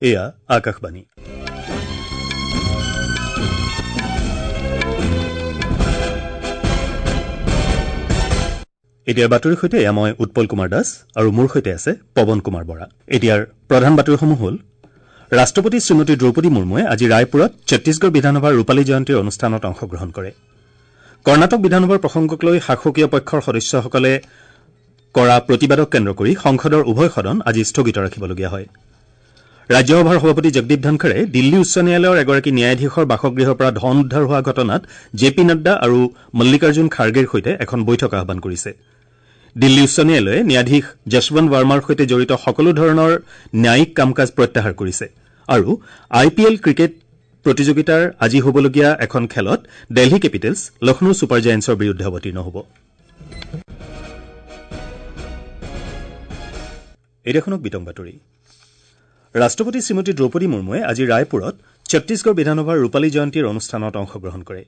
এয়া আকাশবাণী। এতিয়াৰ বাতৰিৰ সৈতে এয়া মই উৎপল কুমাৰ দাস আৰু মোৰ সৈতে আছে পৱন কুমাৰ বৰা। এতিয়াৰ প্ৰধান বাতৰিসমূহ হ'ল: ৰাষ্ট্ৰপতি শ্ৰীমতী দ্ৰৌপদী মুৰ্মুৱে আজি ৰায়পুৰত ছত্তীশগড় বিধানসভাৰ ৰূপালী জয়ন্তীৰ অনুষ্ঠানত অংশগ্ৰহণ কৰে। কৰ্ণাটক বিধানসভাৰ প্ৰসংগক লৈ শাসকীয় পক্ষৰ সদস্যসকলে কৰা প্ৰতিবাদক কেন্দ্ৰ কৰি সংসদৰ উভয় সদন আজি স্থগিত ৰাখিবলগীয়া হয়। ৰাজ্যসভাৰ সভাপতি জগদীপ ধনখৰে দিল্লী উচ্চ ন্যায়ালয়ৰ এগৰাকী ন্যায়াধীশৰ বাসগৃহৰ পৰা ধন উদ্ধাৰ হোৱা ঘটনাত জে পি নাড্ডা আৰু মল্লিকাৰ্জুন খাৰ্গেৰ সৈতে এখন বৈঠক আহ্বান কৰিছে। দিল্লী উচ্চ ন্যায়ালয়ে ন্যায়াধীশ যশৱন্ত বাৰ্মাৰ সৈতে জড়িত সকলো ধৰণৰ ন্যায়িক কাম কাজ প্ৰত্যাহাৰ কৰিছে। আৰু আই পি এল ক্ৰিকেট প্ৰতিযোগিতাৰ আজি হ'বলগীয়া এখন খেলত দেলহী কেপিটেলছ লক্ষ্ণৌ ছুপাৰ জায়েণ্টছৰ বিৰুদ্ধে অৱতীৰ্ণ হ'ব। এতিয়া শুনক বিতং বাতৰি। ৰাষ্ট্ৰপতি শ্ৰীমতী দ্ৰৌপদী মুৰ্মুৱে আজি ৰায়পুৰত ছত্তীশগড় বিধানসভাৰ ৰূপালী জয়ন্তীৰ অনুষ্ঠানত অংশগ্ৰহণ কৰে।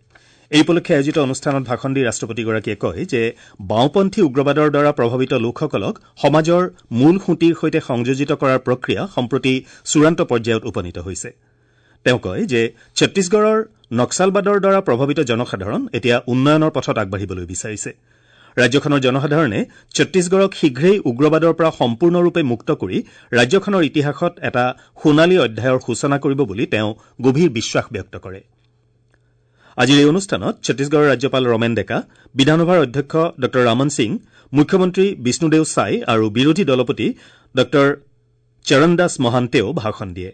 এই উপলক্ষে আয়োজিত অনুষ্ঠানত ভাষণ দি ৰাষ্ট্ৰপতিগৰাকীয়ে কয় যে বাওঁপন্থী উগ্ৰবাদৰ দ্বাৰা প্ৰভাৱিত লোকসকলক সমাজৰ মূল সুঁতিৰ সৈতে সংযোজিত কৰাৰ প্ৰক্ৰিয়া সম্প্ৰতি চূড়ান্ত পৰ্যায়ত উপনীত হৈছে। তেওঁ কয় যে ছত্তীশগড়ৰ নক্সালবাদৰ দ্বাৰা প্ৰভাৱিত জনসাধাৰণ এতিয়া উন্নয়নৰ পথত আগবাঢ়িবলৈ বিচাৰিছে। ৰাজ্যখনৰ জনসাধাৰণে ছত্তীশগড়ক শীঘ্ৰেই উগ্ৰবাদৰ পৰা সম্পূৰ্ণৰূপে মুক্ত কৰি ৰাজ্যখনৰ ইতিহাসত এটা সোণালী অধ্যায়ৰ সূচনা কৰিব বুলি তেওঁ গভীৰ বিশ্বাস ব্যক্ত কৰে। আজিৰ এই অনুষ্ঠানত ছত্তীশগড়ৰ ৰাজ্যপাল ৰমেন ডেকা, বিধানসভাৰ অধ্যক্ষ ডঃ ৰামন সিং, মুখ্যমন্ত্ৰী বিষ্ণুদেও ছাই আৰু বিৰোধী দলপতি ডঃ চৰণদাস মহান্তেও ভাষণ দিয়ে।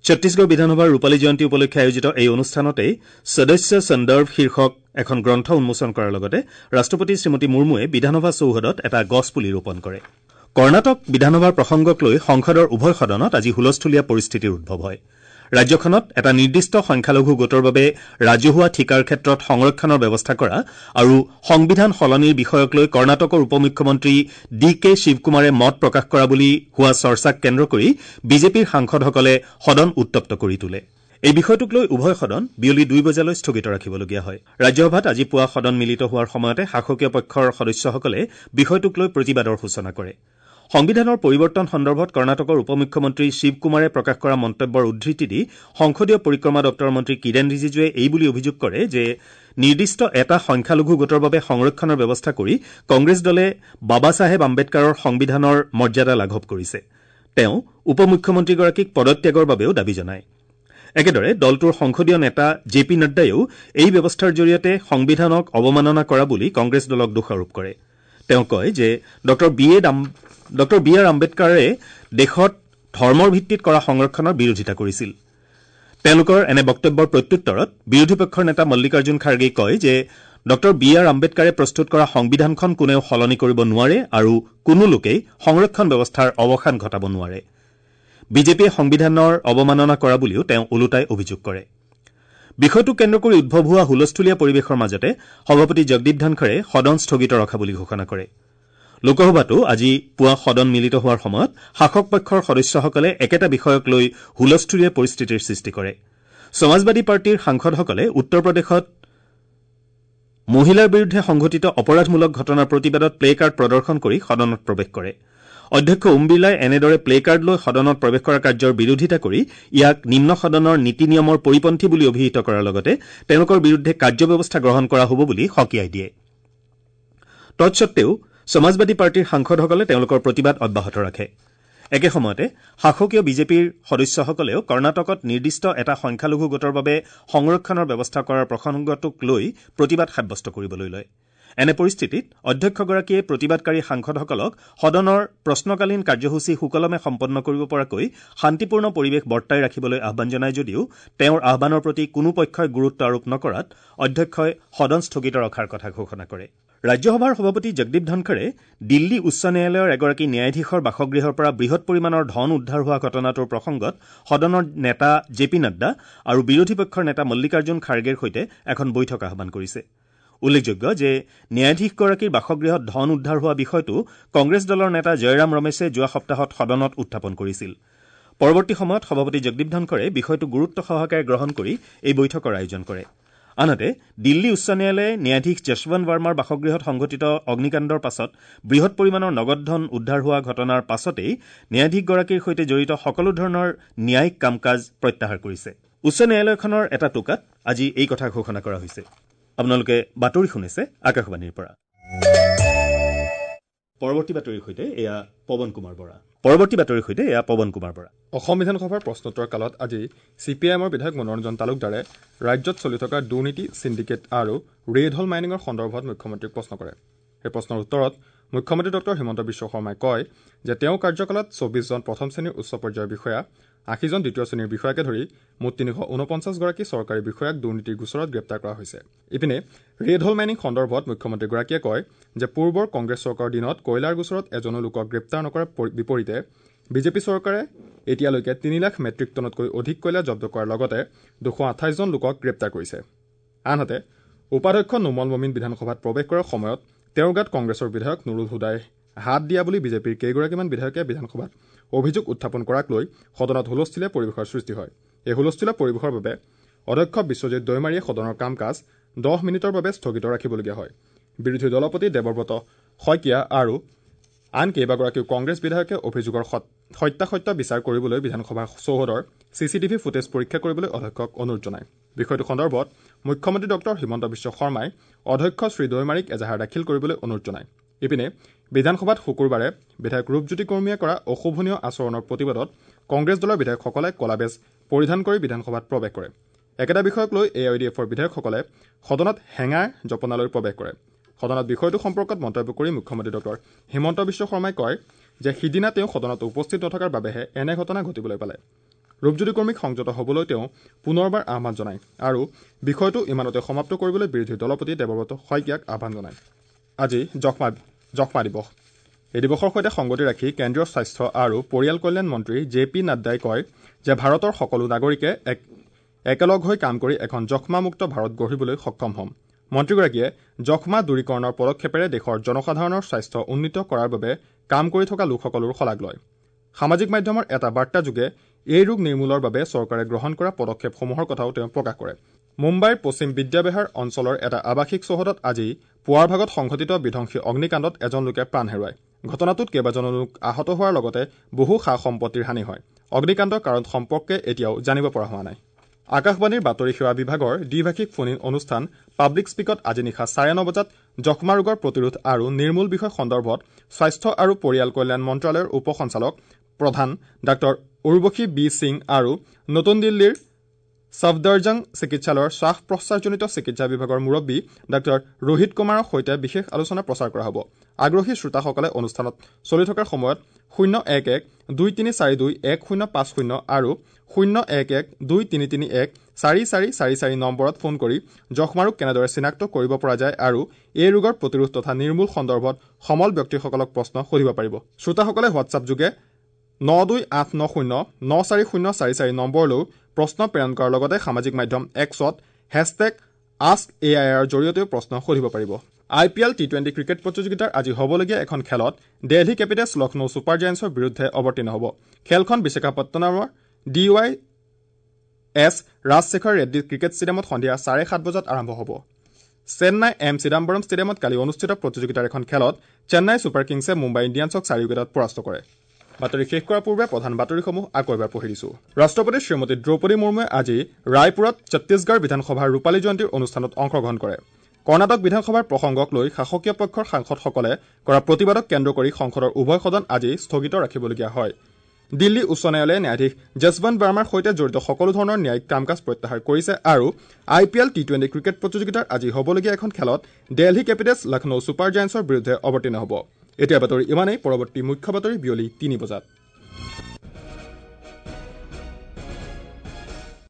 ছত্তীশগড় বিধানসভাৰ ৰূপালী জয়ন্তী উপলক্ষে আয়োজিত এই অনুষ্ঠানতেই সদস্য সন্দৰ্ভ শীৰ্ষক এখন গ্ৰন্থ উন্মোচন কৰাৰ লগতে ৰাষ্ট্ৰপতি শ্ৰীমতী মুৰ্মুৱে বিধানসভা চৌহদত এটা গছপুলি ৰোপণ কৰে। কৰ্ণাটক বিধানসভাৰ প্ৰসংগক লৈ সংসদৰ উভয় সদনত আজি হুলস্থূলীয়া পৰিস্থিতিৰ উদ্ভৱ হয়। ৰাজ্যখনত এটা নিৰ্দিষ্ট সংখ্যালঘু গোটৰ বাবে ৰাজহুৱা ঠিকাৰ ক্ষেত্ৰত সংৰক্ষণৰ ব্যৱস্থা কৰা আৰু সংবিধান সলনিৰ বিষয়ক লৈ কৰ্ণাটকৰ উপ মুখ্যমন্ত্ৰী ডি কে শিৱকুমাৰে মত প্ৰকাশ কৰা বুলি হোৱা চৰ্চাক কেন্দ্ৰ কৰি বিজেপিৰ সাংসদসকলে সদন উত্তপ্ত কৰি তোলে। এই বিষয়টোক লৈ উভয় সদন বিয়লি 2 বজালৈ স্থগিত ৰাখিবলগীয়া হয়। ৰাজ্যসভাত আজি পুৱা সদন মিলিত হোৱাৰ সময়তে শাসকীয় পক্ষৰ সদস্যসকলে বিষয়টোক লৈ প্ৰতিবাদৰ সূচনা কৰে। সংবিধানৰ পৰিৱৰ্তন সন্দৰ্ভত কৰ্ণাটকৰ উপ মুখ্যমন্ত্ৰী শিৱকুমাৰে প্ৰকাশ কৰা মন্তব্যৰ উদ্ধৃতি দি সংসদীয় পৰিক্ৰমা দপ্তৰৰ মন্ত্ৰী কিৰেণ ৰিজিজুৱে এই বুলি অভিযোগ কৰে যে নিৰ্দিষ্ট এটা সংখ্যালঘু গোটৰ বাবে সংৰক্ষণৰ ব্যৱস্থা কৰি কংগ্ৰেছ দলে বাবা চাহেব আম্বেদকাৰৰ সংবিধানৰ মৰ্যাদা লাঘৱ কৰিছে। তেওঁ উপ মুখ্যমন্ত্ৰীগৰাকীক পদত্যাগৰ বাবেও দাবী জনায়। একেদৰে দলটোৰ সংসদীয় নেতা জে পি নাড্ডায়েও এই ব্যৱস্থাৰ জৰিয়তে সংবিধানক অৱমাননা কৰা বুলি কংগ্ৰেছ দলক দোষাৰোপ কৰে। তেওঁ কয় যে ডঃ বি আৰ আম্বেদকাৰে দেশত ধৰ্মৰ ভিত্তিত কৰা সংৰক্ষণৰ বিৰোধিতা কৰিছিল। তেওঁলোকৰ এনে বক্তব্যৰ প্ৰত্যুত্তৰত বিৰোধী পক্ষৰ নেতা মল্লিকাৰ্জুন খাৰ্গেই কয় যে ডঃ বি আৰ আম্বেদকাৰে প্ৰস্তুত কৰা সংবিধানখন কোনেও সলনি কৰিব নোৱাৰে আৰু কোনো লোকেই সংৰক্ষণ ব্যৱস্থাৰ অৱসান ঘটাব নোৱাৰে। বিজেপিয়ে সংবিধানৰ অৱমাননা কৰা বুলিও তেওঁ ওলোটাই অভিযোগ কৰে। বিষয়টোক কেন্দ্ৰ কৰি উদ্ভৱ হোৱা হুলস্থূলীয়া পৰিৱেশৰ মাজতে সভাপতি জগদীপ ধনখৰে সদন স্থগিত ৰখা বুলি ঘোষণা কৰে। লোকসভাতো আজি পুৱা সদন মিলিত হোৱাৰ সময়ত শাসক পক্ষৰ সদস্যসকলে একেটা বিষয়ক লৈ হুলস্থূলীয়া পৰিস্থিতিৰ সৃষ্টি কৰে। সমাজবাদী পাৰ্টীৰ সাংসদসকলে উত্তৰ প্ৰদেশত মহিলাৰ বিৰুদ্ধে সংঘটিত অপৰাধমূলক ঘটনাৰ প্ৰতিবাদত প্লে কাৰ্ড প্ৰদৰ্শন কৰি সদনত প্ৰৱেশ কৰে। অধ্যক্ষ ওম বিৰলাই এনেদৰে প্লে কাৰ্ড লৈ সদনত প্ৰৱেশ কৰা কাৰ্যৰ বিৰোধিতা কৰি ইয়াক নিম্ন সদনৰ নীতি নিয়মৰ পৰিপন্থী বুলি অভিহিত কৰাৰ লগতে তেওঁলোকৰ বিৰুদ্ধে কাৰ্যব্যৱস্থা গ্ৰহণ কৰা হ'ব বুলি সকীয়াই দিয়ে। তৎসত্বেও সমাজবাদী পাৰ্টীৰ সাংসদসকলে তেওঁলোকৰ প্ৰতিবাদ অব্যাহত ৰাখে। একে সময়তে শাসকীয় বিজেপিৰ সদস্যসকলেও কৰ্ণাটকত নিৰ্দিষ্ট এটা সংখ্যালঘু গোটৰ বাবে সংৰক্ষণৰ ব্যৱস্থা কৰাৰ প্ৰসংগটোক লৈ প্ৰতিবাদ সাব্যস্ত কৰিবলৈ লয়। এনে পৰিস্থিতিত অধ্যক্ষগৰাকীয়ে প্ৰতিবাদকাৰী সাংসদসকলক সদনৰ প্ৰশ্নকালীন কাৰ্যসূচী সুকলমে সম্পন্ন কৰিব পৰাকৈ শান্তিপূৰ্ণ পৰিৱেশ বৰ্তাই ৰাখিবলৈ আহ্বান জনায় যদিও তেওঁৰ আহ্বানৰ প্ৰতি কোনো পক্ষই গুৰুত্ব আৰোপ নকৰাত অধ্যক্ষই সদন স্থগিত ৰখাৰ কথা ঘোষণা কৰে। ৰাজ্যসভাৰ সভাপতি জগদীপ ধনখৰে দিল্লী উচ্চ ন্যায়ালয়ৰ এগৰাকী ন্যায়াধীশৰ বাসগৃহৰ পৰা বৃহৎ পৰিমাণৰ ধন উদ্ধাৰ হোৱা ঘটনাটোৰ প্ৰসংগত সদনৰ নেতা জে পি নাড্ডা আৰু বিৰোধী পক্ষৰ নেতা মল্লিকাৰ্জুন খাৰ্গেৰ সৈতে এখন বৈঠক আহ্বান কৰিছে। উল্লেখযোগ্য যে ন্যায়াধীশগৰাকীৰ বাসগৃহত ধন উদ্ধাৰ হোৱা বিষয়টো কংগ্ৰেছ দলৰ নেতা জয়ৰাম ৰমেশে যোৱা সপ্তাহত সদনত উত্থাপন কৰিছিল। পৰৱৰ্তী সময়ত সভাপতি জগদীপ ধনখৰে বিষয়টো গুৰুত্ব সহকাৰে গ্ৰহণ কৰি এই বৈঠকৰ আয়োজন কৰে। আনহাতে দিল্লী উচ্চ ন্যায়ালয়ে ন্যায়াধীশ যশৱন্ত বাৰ্মাৰ বাসগৃহত সংঘটিত অগ্নিকাণ্ডৰ পাছত বৃহৎ পৰিমাণৰ নগদ ধন উদ্ধাৰ হোৱা ঘটনাৰ পাছতেই ন্যায়াধীশগৰাকীৰ সৈতে জড়িত সকলো ধৰণৰ ন্যায়িক কাম কাজ প্ৰত্যাহাৰ কৰিছে। উচ্চ ন্যায়ালয়খনৰ এটা টোকাত আজি এই কথা ঘোষণা কৰা হৈছে। আপোনালোকে বাতৰি শুনিছে আকাশবাণীৰ পৰা। পৰৱৰ্তী বাতৰিৰ সৈতে এয়া পৱন কুমাৰ বৰা। অসম বিধানসভাৰ প্ৰশ্নোত্তৰ কালত আজি চি পি আই এমৰ বিধায়ক মনোৰঞ্জন তালুকদাৰে ৰাজ্যত চলি থকা দুৰ্নীতি, চিণ্ডিকেট আৰু ৰেড হল মাইনিঙৰ সন্দৰ্ভত মুখ্যমন্ত্ৰীক প্ৰশ্ন কৰে। সেই প্ৰশ্নৰ উত্তৰত মুখ্যমন্ত্ৰী ডঃ হিমন্ত বিশ্ব শৰ্মাই কয় যে তেওঁৰ কাৰ্যকালত 24জন প্ৰথম শ্ৰেণীৰ উচ্চ পৰ্যায়ৰ বিষয়া, 80জন দ্বিতীয় শ্ৰেণীৰ বিষয়াকে ধৰি মুঠ 349গৰাকী চৰকাৰী বিষয়াক দুৰ্নীতিৰ গোচৰত গ্ৰেপ্তাৰ কৰা হৈছে। ইপিনে ৰেড হল মাইনিং সন্দৰ্ভত মুখ্যমন্ত্ৰীগৰাকীয়ে কয় যে পূৰ্বৰ কংগ্ৰেছ চৰকাৰৰ দিনত কয়লাৰ গোচৰত এজনো লোকক গ্ৰেপ্তাৰ নকৰাৰ বিপৰীতে বিজেপি চৰকাৰে এতিয়ালৈকে 3 লাখ মেট্ৰিক টনতকৈ অধিক কয়লা জব্দ কৰাৰ লগতে 228জন লোকক গ্ৰেপ্তাৰ কৰিছে। আনহাতে উপাধ্যক্ষ নোমল মমিন বিধানসভাত প্ৰৱেশ কৰাৰ সময়ত তেওঁৰ গাত কংগ্ৰেছৰ বিধায়ক নুৰুল হুদাই হাত দিয়া বুলি বিজেপিৰ কেইগৰাকীমান বিধায়কে বিধানসভাত অভিযোগ উত্থাপন কৰাক লৈ সদনত হুলস্থুলীয়া পৰিৱেশৰ সৃষ্টি হয়। এই হুলস্থুলীয়া পৰিৱেশৰ বাবে অধ্যক্ষ বিশ্বজিৎ দৈমাৰীয়ে সদনৰ কাম কাজ 10 মিনিটৰ বাবে স্থগিত ৰাখিবলগীয়া হয়। বিৰোধী দলপতি দেৱব্ৰত শইকীয়া আৰু আন কেইবাগৰাকীও কংগ্ৰেছ বিধায়কে অভিযোগৰ সত্যাসত্য বিচাৰ কৰিবলৈ বিধানসভা চৌহদৰ চি চি টিভি ফুটেজ পৰীক্ষা কৰিবলৈ অধ্যক্ষক অনুৰোধ জনায়। বিষয়টো সন্দৰ্ভত মুখ্যমন্ত্ৰী ডঃ হিমন্ত বিশ্ব শৰ্মাই অধ্যক্ষ শ্ৰী দৈমাৰীক এজাহাৰ দাখিল কৰিবলৈ অনুৰোধ জনায়। ইপিনে বিধানসভাত শুকুৰবাৰে বিধায়ক ৰূপজ্যোতি কৰ্মীয়ে কৰা অশোভনীয় আচৰণৰ প্ৰতিবাদত কংগ্ৰেছ দলৰ বিধায়কসকলে কলা বেজ পৰিধান কৰি বিধানসভাত প্ৰৱেশ কৰে। একেটা বিষয়ক লৈ এ I D এফৰ বিধায়কসকলে সদনত হেঙাৰ জপনালৈ প্ৰৱেশ কৰে। সদনত বিষয়টো সম্পৰ্কত মন্তব্য কৰি মুখ্যমন্ত্ৰী ডঃ হিমন্ত বিশ্ব শৰ্মাই কয় যে সিদিনা তেওঁ সদনত উপস্থিত নথকাৰ বাবেহে এনে ঘটনা ঘটিবলৈ পালে। ৰূপজ্যোতি কৰ্মীক সংযত হ'বলৈ তেওঁ পুনৰবাৰ আহ্বান জনায় আৰু বিষয়টো ইমানতে সমাপ্ত কৰিবলৈ বিৰোধী দলপতি দেৱব্ৰত শইকীয়াক আহ্বান জনায়। আজি যক্ষ্মা দিৱস। এই দিৱসৰ সৈতে সংগতি ৰাখি কেন্দ্ৰীয় স্বাস্থ্য আৰু পৰিয়াল কল্যাণ মন্ত্ৰী জে পি নাড্ডাই কয় যে ভাৰতৰ সকলো নাগৰিকে একেলগ হৈ কাম কৰি এখন যক্ষ্মামুক্ত ভাৰত গঢ়িবলৈ সক্ষম হ'ম। মন্ত্ৰীগৰাকীয়ে যক্ষ্মা দূৰীকৰণৰ পদক্ষেপেৰে দেশৰ জনসাধাৰণৰ স্বাস্থ্য উন্নীত কৰাৰ বাবে কাম কৰি থকা লোকসকলৰ শলাগ লয়। সামাজিক মাধ্যমৰ এটা বাৰ্তাযোগে এই ৰোগ নিৰ্মূলৰ বাবে চৰকাৰে গ্ৰহণ কৰা পদক্ষেপসমূহৰ কথাও তেওঁ প্ৰকাশ কৰে। মুম্বাইৰ পশ্চিম বিদ্যাবিহাৰ অঞ্চলৰ এটা আৱাসিক চৌহদত আজি পুৱাৰ ভাগত সংঘটিত বিধ্বংসী অগ্নিকাণ্ডত এজন লোকে প্ৰাণ হেৰুৱায়। ঘটনাটোত কেইবাজনো লোক আহত হোৱাৰ লগতে বহু সা সম্পত্তিৰ হানি হয়। অগ্নিকাণ্ডৰ কাৰণ সম্পৰ্কে এতিয়াও জানিব পৰা হোৱা নাই। আকাশবাণীৰ বাতৰি সেৱা বিভাগৰ দ্বিভাষিক ফোন ইন অনুষ্ঠান পাব্লিক স্পীকত আজি নিশা 9:30 বজাত যক্ষ্মা ৰোগৰ প্ৰতিৰোধ আৰু নিৰ্মূল বিষয় সন্দৰ্ভত স্বাস্থ্য আৰু পৰিয়াল কল্যাণ মন্ত্ৰালয়ৰ উপ সঞ্চালক প্ৰধান ডাঃ উৰ্বশী বি সিং আৰু নতুন দিল্লীৰ ছফদৰজং চিকিৎসালয়ৰ শ্বাস প্ৰশ্বাসজনিত চিকিৎসা বিভাগৰ মুৰব্বী ডাঃ ৰোহিত কুমাৰৰ সৈতে বিশেষ আলোচনা প্ৰচাৰ কৰা হ'ব। আগ্ৰহী শ্ৰোতাসকলে অনুষ্ঠানত চলি থকাৰ সময়ত 011 2342 1050 আৰু 011 2331 4444 নম্বৰত ফোন কৰি যক্ষ্মা ৰোগ কেনেদৰে চিনাক্ত কৰিব পৰা যায় আৰু এই ৰোগৰ প্ৰতিৰোধ তথা নিৰ্মূল সন্দৰ্ভত সমল ব্যক্তিসকলক প্ৰশ্ন সুধিব পাৰিব। শ্ৰোতাসকলে হোৱাটছআপ যোগে 92890 94044 নম্বৰলৈও প্ৰশ্ন প্ৰেৰণ কৰাৰ লগতে সামাজিক মাধ্যম এক্সত হেছটেগ আস্ক এ I আৰৰ জৰিয়তেও প্ৰশ্ন সুধিব পাৰিব। I P L T20 cricket প্ৰতিযোগিতাৰ আজি হ'বলগীয়া এখন খেলত দেলহি কেপিটেলছ লক্ষ্ণৌ ছুপাৰ জায়েণ্টছৰ বিৰুদ্ধে অৱতীৰ্ণ হ'ব। খেলখন বিশাখাপট্টনমৰ D Y S Rajasekhar Reddy cricket ষ্টেডিয়ামত সন্ধিয়া 7:30 বজাত আৰম্ভ হ'ব। চেন্নাই এম চিদাম্বৰম ষ্টেডিয়ামত কালি অনুষ্ঠিত প্ৰতিযোগিতাৰ এখন খেলত চেন্নাই ছুপাৰ কিংছে মুম্বাই ইণ্ডিয়ানছক 4 উইকেটত পৰাস্ত কৰে। বাতৰি শেষ কৰাৰ পূৰ্বে প্ৰধান বাতৰিসমূহ আকৌ এবাৰ পঢ়ি দিছো। ৰাষ্ট্ৰপতি শ্ৰীমতী দ্ৰৌপদী মুৰ্মুৱে আজি ৰায়পুৰত ছত্তীশগড় বিধানসভাৰ ৰূপালী জয়ন্তীৰ অনুষ্ঠানত অংশগ্ৰহণ কৰে। কৰ্ণাটক বিধানসভাৰ প্ৰসংগক লৈ শাসকীয় পক্ষৰ সাংসদসকলে কৰা প্ৰতিবাদক কেন্দ্ৰ কৰি সংসদৰ উভয় সদন আজি স্থগিত ৰাখিবলগীয়া হয়। দিল্লী উচ্চ ন্যায়ালয়ে ন্যায়াধীশ যশৱন্ত বাৰ্মাৰ সৈতে জড়িত সকলো ধৰণৰ ন্যায়িক কাম কাজ প্ৰত্যাহাৰ কৰিছে আৰু I P L T20 cricket প্ৰতিযোগিতাৰ আজি হ'বলগীয়া এখন খেলত দেলহি কেপিটেলছ লক্ষ্ণৌ ছুপাৰ জায়েণ্টছৰ বিৰুদ্ধে অৱতীৰ্ণ হ'ব। এতিয়া বাতৰি ইমানেই। পৰৱৰ্তী মুখ্য বাতৰি বিয়লি 3 বজাত।